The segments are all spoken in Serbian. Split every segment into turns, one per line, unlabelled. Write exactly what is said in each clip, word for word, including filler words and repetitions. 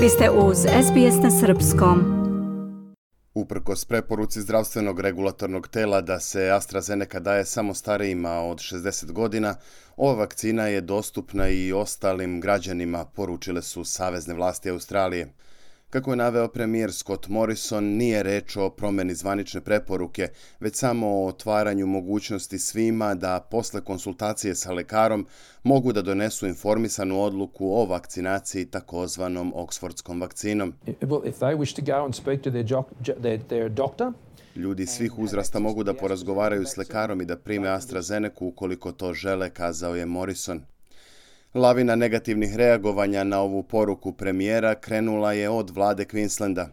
Vi ste uz S B S na srpskom.
Uprkos preporuci zdravstvenog regulatornog tela da se AstraZeneca daje samo starijima od šezdeset godina, ova vakcina je dostupna i ostalim građanima, poručile su savezne vlasti Australije. Kako je naveo premijer Scott Morrison, nije reč o promjeni zvanične preporuke, već samo o otvaranju mogućnosti svima da posle konsultacije sa lekarom mogu da donesu informisanu odluku o vakcinaciji takozvanom Oxfordskom vakcinom. Ljudi svih uzrasta mogu da porazgovaraju s lekarom i da prime AstraZenecu ukoliko to žele, kazao je Morrison. Lavina negativnih reagovanja na ovu poruku premijera krenula je od vlade Queenslanda.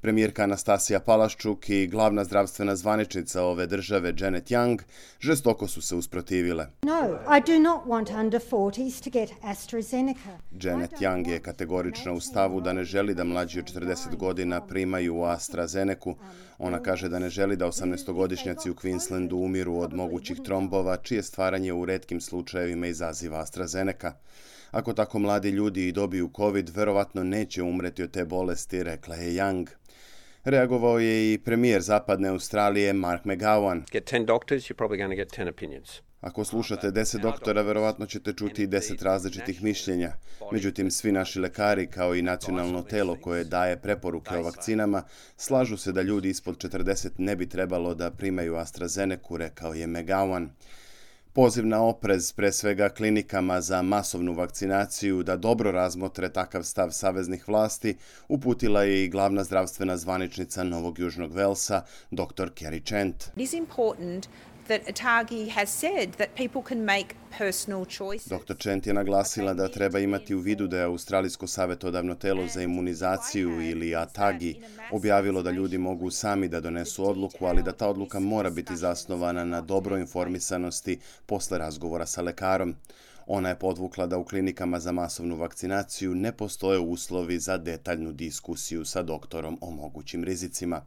Premijerka Anastasija Palaszczuk i glavna zdravstvena zvaničnica ove države Janet Young žestoko su se usprotivile.
No, I do not want under forties to get AstraZeneca.
Janet Young je kategorična u stavu da ne želi da mlađi od četrdeset godina primaju AstraZenecu. Ona kaže da ne želi da osamnaestogodišnjaci u Queenslandu umiru od mogućih trombova, čije stvaranje u retkim slučajevima izaziva AstraZeneca. Ako tako mladi ljudi i dobiju COVID, verovatno neće umreti od te bolesti, rekla je Young. Reagovao je i premijer zapadne Australije Mark McGowan.
Get ten doctors, you're probably going to get ten opinions.
Ako slušate deset doktora, verovatno ćete čuti i deset različitih mišljenja. Međutim, svi naši lekari, kao i nacionalno telo koje daje preporuke o vakcinama, slažu se da ljudi ispod četrdeset ne bi trebalo da primaju AstraZenecu, rekao je McGowan. Poziv na oprez, pre svega klinikama za masovnu vakcinaciju, da dobro razmotre takav stav saveznih vlasti, uputila je i glavna zdravstvena zvaničnica Novog Južnog Velsa, doktor Kerry Chant.
It is important that ATAGI has said that people can make personal choices.
doktor Chant je naglasila da treba imati u vidu da je Australijsko savjetodavno telo za imunizaciju ili ATAGI objavilo da ljudi mogu sami da donesu odluku, ali da ta odluka mora biti zasnovana na dobroj informisanosti posle razgovora sa lekarom. Ona je podvukla da u klinikama za masovnu vakcinaciju ne postoje uslovi za detaljnu diskusiju sa doktorom o mogućim rizicima.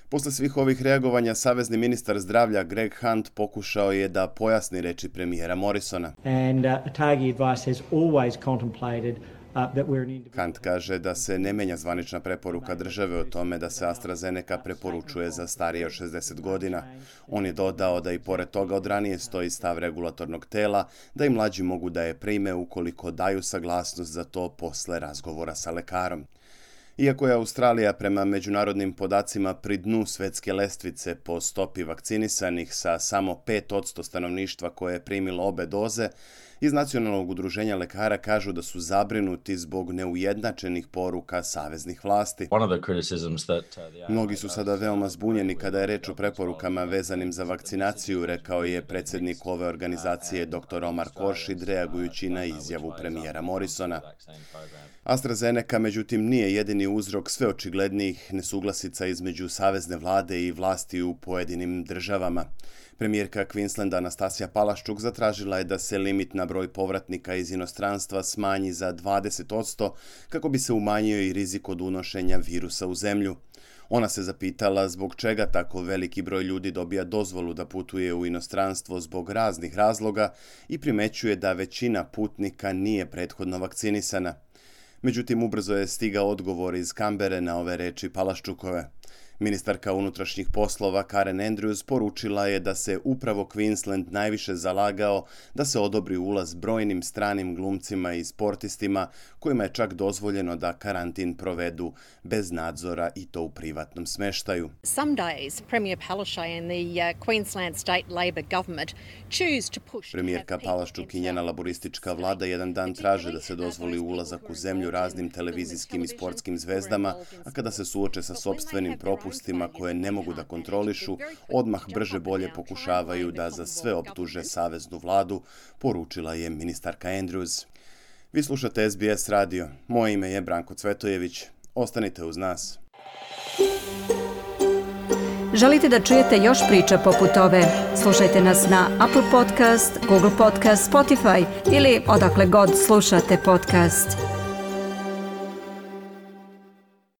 Posle svih ovih reagovanja, savezni ministar zdravlja Greg Hunt pokušao je da pojasni reči premijera Morrisona.
And, uh, ATAGI advice has always contemplated uh, that we're an individual...
Hunt kaže da se ne menja zvanična preporuka države o tome da se AstraZeneca preporučuje za starije od šezdeset godina. On je dodao da i pored toga od ranije stoji stav regulatornog tela da i mlađi mogu da je prime ukoliko daju saglasnost za to posle razgovora sa lekarom. Iako je Australija prema međunarodnim podacima pri dnu svetske lestvice po stopi vakcinisanih sa samo pet posto stanovništva koje je primilo obe doze, iz Nacionalnog udruženja lekara kažu da su zabrinuti zbog neujednačenih poruka saveznih vlasti. Mnogi su sada veoma zbunjeni kada je reč o preporukama vezanim za vakcinaciju, rekao je predsjednik ove organizacije doktor Omar Khorshid, reagujući na izjavu premijera Morrisona. AstraZeneca, međutim, nije jedini uzrok sve očiglednijih nesuglasica između savezne vlade i vlasti u pojedinim državama. Premijerka Queenslanda Anastasija Palaszczuk zatražila je da se limit na broj povratnika iz inostranstva smanji za dvadeset posto kako bi se umanjio i rizik od unošenja virusa u zemlju. Ona se zapitala zbog čega tako veliki broj ljudi dobija dozvolu da putuje u inostranstvo zbog raznih razloga i primećuje da većina putnika nije prethodno vakcinisana. Međutim, ubrzo je stigao odgovor iz Kambere na ove reči Palaszczukove. Ministarka unutrašnjih poslova Karen Andrews poručila je da se upravo Queensland najviše zalagao da se odobri ulaz brojnim stranim glumcima i sportistima kojima je čak dozvoljeno da karantin provedu bez nadzora i to u privatnom smeštaju.
Some days Premier Palaszczuk and the uh, Queensland State Labor government choose to push.
Premijerka Palaszczuk i njena laboristička vlada jedan dan traže da se dozvoli ulazak u zemlju raznim televizijskim i sportskim zvezdama, a kada se suoče sa sopstvenim propustima koje ne mogu da kontrolišu, odmah brže bolje pokušavaju da za sve optuže saveznu vladu, poručila je ministarka Andrews. Vi slušate S B S radio. Moje ime je Branko Cvetojević. Ostanite uz nas.
Želite da čujete još priča poput ove? Slušajte nas na Apple Podcast, Google Podcast, Spotify ili odakle god slušate podcast.